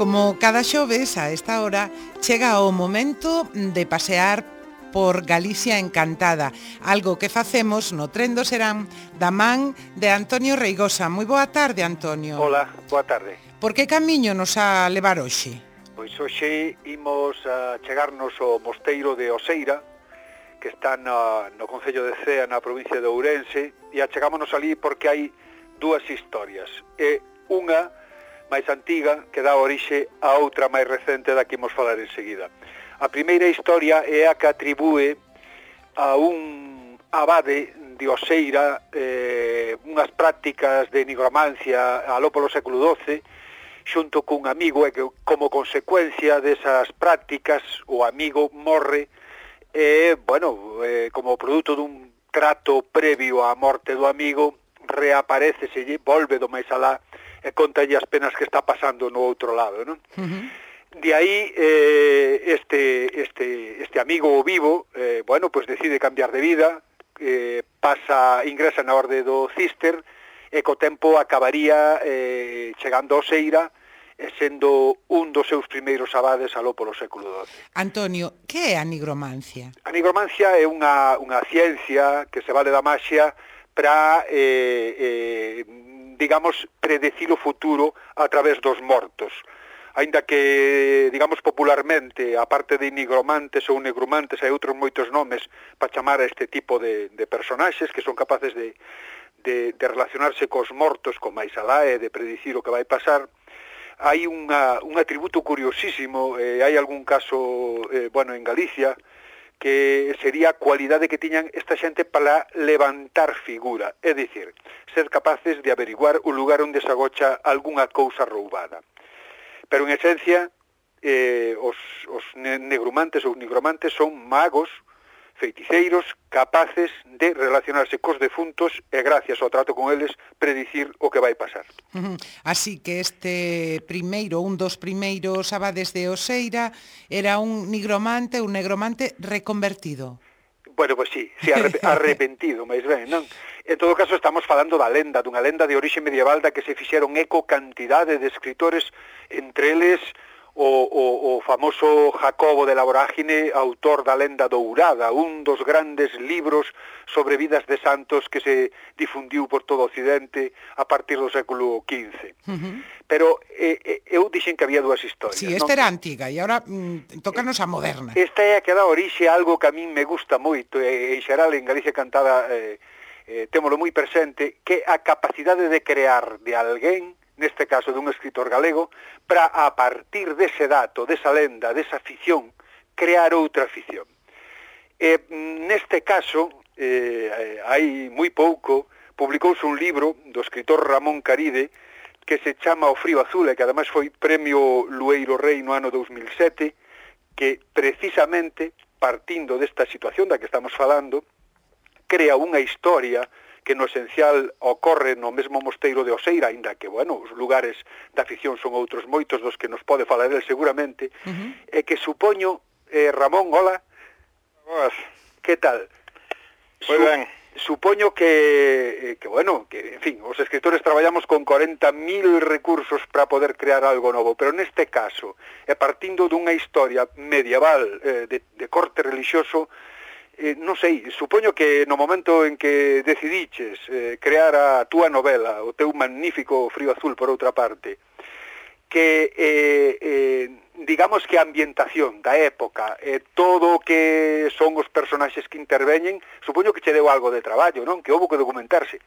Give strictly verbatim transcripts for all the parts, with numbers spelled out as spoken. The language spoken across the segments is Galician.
Como cada xoves a esta hora chega o momento de pasear por Galicia Encantada, algo que facemos no Tren do Serán da man de Antonio Reigosa. Moi boa tarde, Antonio. Hola, boa tarde. Por que camiño nos a levar hoxe? Pois hoxe imos a chegarnos ao mosteiro de Oseira, que está na, no concello de Cea, na provincia de Ourense, e achegámonos ali porque hai dúas historias. E unha máis antiga que dá orixe a outra máis recente da que imos falar enseguida. A primeira historia é a que atribúe a un abade de Oseira eh, unhas prácticas de nigromancia aló polo século doce, xunto cun amigo, e que como consecuencia desas prácticas o amigo morre e, bueno, eh, como produto dun trato previo á morte do amigo, reaparece, se volve do máis alá e contalle as penas que está pasando no outro lado, non? Uh-huh. De aí, eh, este, este, este amigo vivo, eh, bueno, pues decide cambiar de vida, eh, pasa, ingresa na orde do Cister, e co tempo acabaría eh, chegando a Oseira, e sendo un dos seus primeiros abades aló polo século doce. Antonio, que é a nigromancia? A nigromancia é unha, unha ciencia que se vale da maxia para, eh, eh, digamos, predecir o futuro a través dos mortos. Ainda que, digamos, popularmente, a parte de nigromantes ou negromantes, hai outros moitos nomes para chamar a este tipo de, de personaxes que son capaces de, de, de relacionarse cos mortos con máis alá e de predicir o que vai pasar. Hai unha, un atributo curiosísimo, eh, hai algún caso, eh, bueno, en Galicia, que sería a cualidade que tiñan esta xente para levantar figura, é dicir, ser capaces de averiguar o lugar onde se agocha algunha cousa roubada. Pero en esencia, eh, os, os negrumantes ou nigromantes son magos, feiticeiros, capaces de relacionarse cos defuntos e, gracias ao trato con eles, predicir o que vai pasar. Uh-huh. Así que este primeiro, un dos primeiros abades de Oseira, era un nigromante, un negromante reconvertido. Bueno, pois pues sí, sí, arrep arrepentido, máis ben, non? En todo caso, estamos falando da lenda, dunha lenda de orixe medieval da que se fixeron eco cantidade de escritores, entre eles o, o, o famoso Jacobo de la Vorágine, autor da lenda dourada, un dos grandes libros sobre vidas de santos que se difundiu por todo o Occidente a partir do século quince. Uh-huh. Pero eh, eu dixen que había dúas historias. Sí, esta non? Era antiga e agora mm, tócanos a moderna. Esta é a que dá orixe a algo que a min me gusta moito, e en xeral en Galicia Cantada eh, eh, témolo moi presente, que a capacidade de crear de alguén, neste caso dun escritor galego, para a partir dese dato, desa lenda, desa ficción, crear outra ficción. E neste caso, eh, hai moi pouco, publicouse un libro do escritor Ramón Caride que se chama O frío azul, e que ademais foi premio Lueiro Rei no ano dous mil sete, que precisamente, partindo desta situación da que estamos falando, crea unha historia que no esencial ocorre no mesmo mosteiro de Oseira, aínda que, bueno, os lugares da ficción son outros moitos dos que nos pode falar el seguramente, uh-huh. e que supoño, eh, Ramón, hola. Boas. Que tal? Moi Su ben. Supoño que, que, bueno, que, en fin, os escritores traballamos con corenta mil recursos para poder crear algo novo, pero neste caso, e partindo dunha historia medieval eh, de, de corte religioso, Eh, non sei, supoño que no momento en que decidiches eh, crear a túa novela, o teu magnífico Frío Azul, por outra parte, que, eh, eh, digamos que a ambientación da época, eh, todo o que son os personaxes que interveñen, supoño que che deu algo de traballo, non? Que houbo que documentarse.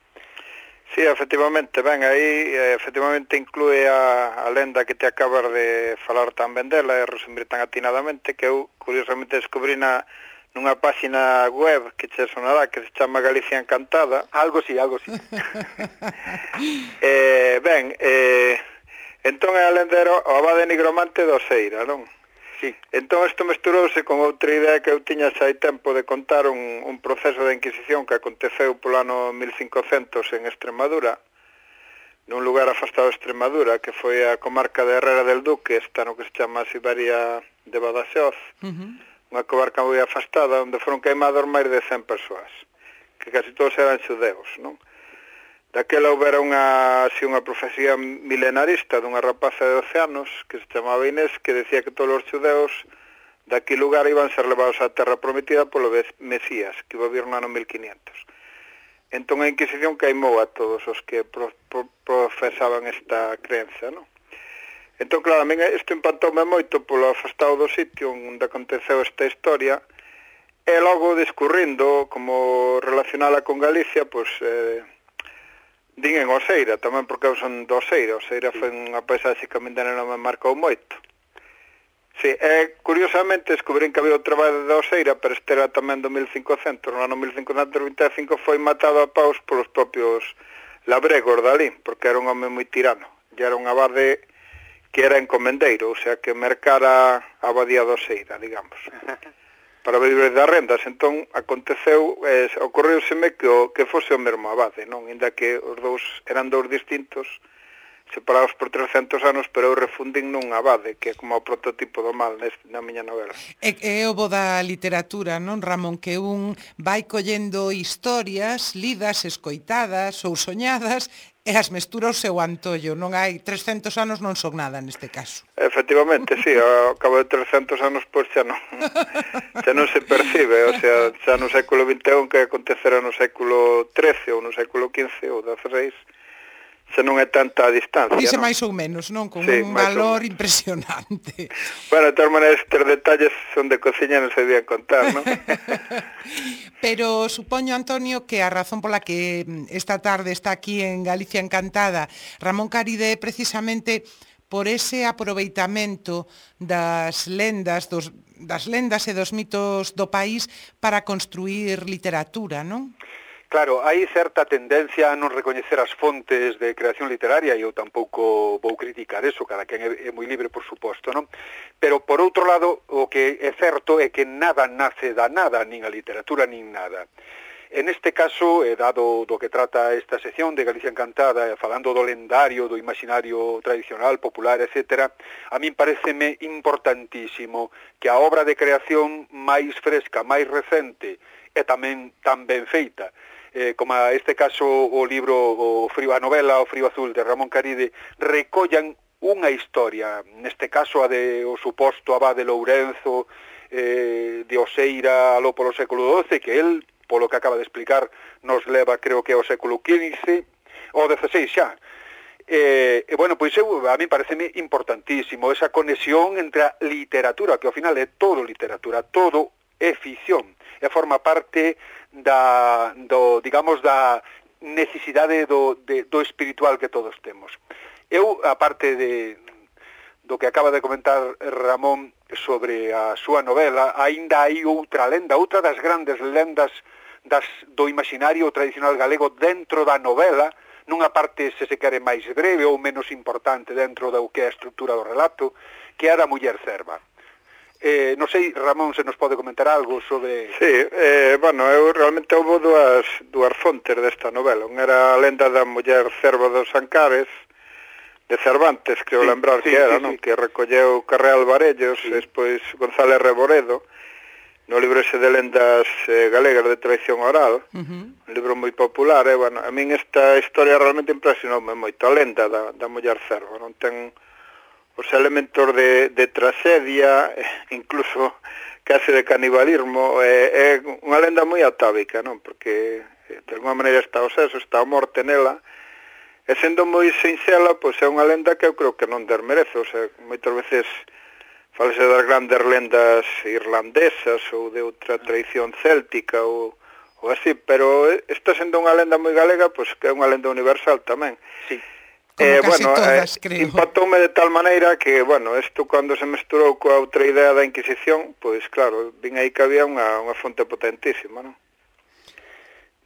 Sí, efectivamente, ben, aí efectivamente inclúe a, a lenda que te acabas de falar tan ben dela e resumir tan atinadamente, que eu curiosamente descubrí na nunha página web que che sonará, que se chama Galicia Encantada. Algo sí, algo sí. eh, ben, eh, entón é a lendero o abade nigromante de Oseira, non? Sí. Entón isto mesturouse con outra idea que eu tiña xa hai tempo de contar un, un proceso de Inquisición que aconteceu polo ano mil cincocentos en Extremadura, nun lugar afastado de Extremadura, que foi a comarca de Herrera del Duque, esta no que se chama Siberia de Badaxoz, uh-huh. unha comarca moi afastada, onde foron queimados máis de cen persoas, que casi todos eran xudeos, non? daquela houbera unha, así, unha profecía milenarista dunha rapaza de doce anos que se chamaba Inés, que decía que todos os xudeus daqui lugar iban ser levados á terra prometida polo Mesías, que iba a vir no ano mil quinientos. Entón a Inquisición queimou a todos os que pro, pro, profesaban esta creencia, non? Entón, claro, a mí isto impactoume moito polo afastado do sitio onde aconteceu esta historia, e logo discurrindo como relacionala con Galicia, pois eh, din en Oseira, tamén porque eu son do Oseira. Oseira foi unha paisaxe que a min non me marcou moito. Sí, e curiosamente descubrín que había o traballo de Oseira, pero este era tamén do mil cincocentos, no ano mil cincocentos vinte e cinco foi matado a paus polos propios labregos dali, porque era un home moi tirano, e era un abade que era encomendeiro, o sea, que mercara a abadía de Oseira, digamos, para vivir das rendas. Entón, aconteceu, eh, ocorreuseme que, o, que fose o mesmo abade, non? Inda que os dous eran dous distintos, separados por trescentos anos, pero eu refundín nun abade, que é como o prototipo do mal neste, na miña novela. É, é o bo da literatura, non, Ramón? Que un vai collendo historias lidas, escoitadas ou soñadas, e as mestura ao seu antollo. Non hai trescentos anos, non son nada neste caso. Efectivamente, sí, ao cabo de trescentos anos, pois xa non, xa non se percibe, o sea, xa no século vinte e un que acontecera no século trece ou no século quince ou dieciséis, se non é tanta a distancia, dice non? máis ou menos, non? Con sí, un valor impresionante. Bueno, de todas maneiras, estes detalles son de cociña, non se debían contar, non? Pero supoño, Antonio, que a razón pola que esta tarde está aquí en Galicia Encantada Ramón Caride é precisamente por ese aproveitamento das lendas, dos, das lendas e dos mitos do país para construir literatura, non? Claro, hai certa tendencia a non recoñecer as fontes de creación literaria, e eu tampouco vou criticar eso, cada quen é, é moi libre, por suposto, non? Pero, por outro lado, o que é certo é que nada nace da nada, nin a literatura, nin nada. En este caso, eh, dado do que trata esta sección de Galicia Encantada, eh, falando do lendario, do imaginario tradicional, popular, etcétera, a min pareceme importantísimo que a obra de creación máis fresca, máis recente, e tamén tan ben feita, eh, como a este caso o libro, o frío, a novela O frío azul de Ramón Caride, recollan unha historia, neste caso a de o suposto abade Lourenzo, eh, de Oseira aló polo século doce, que el, polo que acaba de explicar, nos leva, creo que ao século quince, ou dieciséis xa. Eh, e, bueno, pois eu, a mí pareceme importantísimo esa conexión entre a literatura, que ao final é todo literatura, todo é ficción, e forma parte da, do, digamos, da necesidade do, de, do espiritual que todos temos. Eu, aparte de, do que acaba de comentar Ramón sobre a súa novela, aínda hai outra lenda, outra das grandes lendas das, do imaginario tradicional galego dentro da novela, nunha parte, se se quere, máis breve ou menos importante dentro do que é a estrutura do relato, que é a da muller cerva. Eh, non sei, Ramón, se nos pode comentar algo sobre... Sí, eh, bueno, eu realmente houve dúas, dúas fontes desta novela. Un era a lenda da muller cerva dos Ancares, de Cervantes, creo sí, lembrar sí, que era, sí, non? Sí. Que recolleu Carreal Varellos, sí. Despois González Reboredo, no libro ese de lendas eh, galegas de tradición oral, uh-huh. Un libro moi popular, e, bueno, a min esta historia realmente impresionoume moito, a lenda da, da muller cerva, non ten... os elementos de, de tragedia, incluso case de canibalismo, é, é unha lenda moi atávica, non? Porque de alguma maneira está o sexo, está a morte nela, e sendo moi sinxela, pois é unha lenda que eu creo que non desmerece, o sea, moitas veces falase das grandes lendas irlandesas ou de outra tradición céltica ou, ou así, pero está sendo unha lenda moi galega, pois que é unha lenda universal tamén. Sí. Eh, bueno, todas, eh, impactoume de tal maneira que, bueno, isto cando se mesturou coa outra idea da Inquisición, pois claro, vin aí que había unha, unha fonte potentísima, non?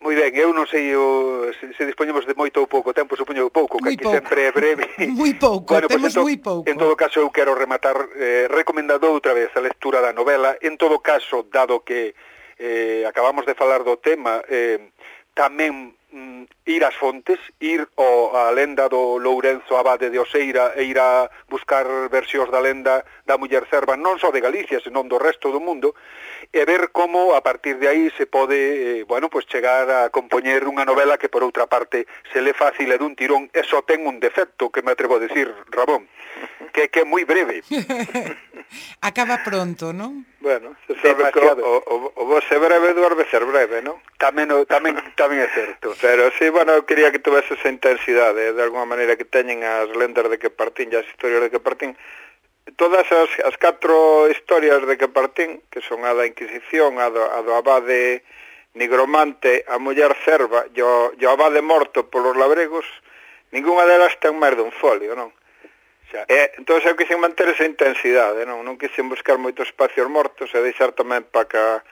Moi ben, eu non sei o, se, se dispoñemos de moito ou pouco tempo, supoño pouco, que aquí pouco. Sempre é breve. Moi pouco, bueno, temos pues, moi pouco. En todo caso, eu quero rematar eh, recomendando outra vez a lectura da novela. En todo caso, dado que eh, acabamos de falar do tema, eh, tamén mm, ir ás fontes, ir ao, a lenda do Lourenzo Abade de Oseira e ir a buscar versións da lenda da muller cerva, non só de Galicia, senón do resto do mundo, e ver como a partir de aí se pode, eh, bueno, pues chegar a compoñer unha novela que por outra parte se le fácil e dun tirón, e só ten un defecto que me atrevo a decir, Ramón, que, que é moi breve. Acaba pronto, non? Bueno, se sabe que o, o, o vos é breve duerme ser breve, non? Tamén, tamén, tamén é certo. Pero sí, bueno, eu quería que tuvese esa intensidade, de alguma maneira que teñen as lendas de Quepartín e as historias de Quepartín. Todas as, as catro historias de Quepartín, que son a da Inquisición, a do, a do abade nigromante, a muller cerva e o, e o abade morto polos labregos, ninguna delas ten máis dun folio, non? Xa. E, entón eu quixen manter esa intensidade, non? Non quixen buscar moitos espacios mortos e deixar tamén para que a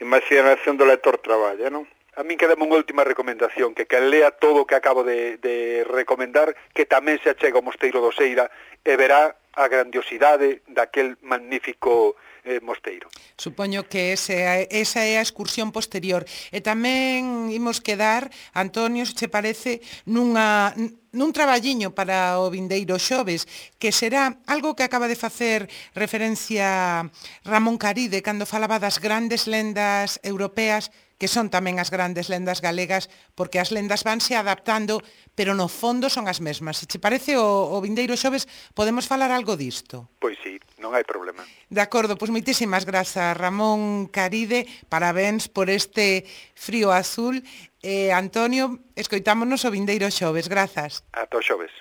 imaginación do lector traballe, non? A min quedame unha última recomendación, que quen lea todo o que acabo de, de recomendar, que tamén se achega ao Mosteiro do Oseira e verá a grandiosidade daquel magnífico eh, mosteiro. Supoño que ese, esa é a excursión posterior. E tamén imos quedar, Antonio, se che parece, nunha, nun traballiño para o vindeiro xoves, que será algo que acaba de facer referencia Ramón Caride cando falaba das grandes lendas europeas, que son tamén as grandes lendas galegas, porque as lendas vanse adaptando, pero no fondo son as mesmas. Se che parece o, o vindeiro xoves, podemos falar algo disto? Pois sí, non hai problema. De acordo, pois moitísimas grazas, Ramón Caride, parabéns por este Frío Azul. Eh, Antonio, escoitámonos o vindeiro xoves, grazas. Ata o xoves.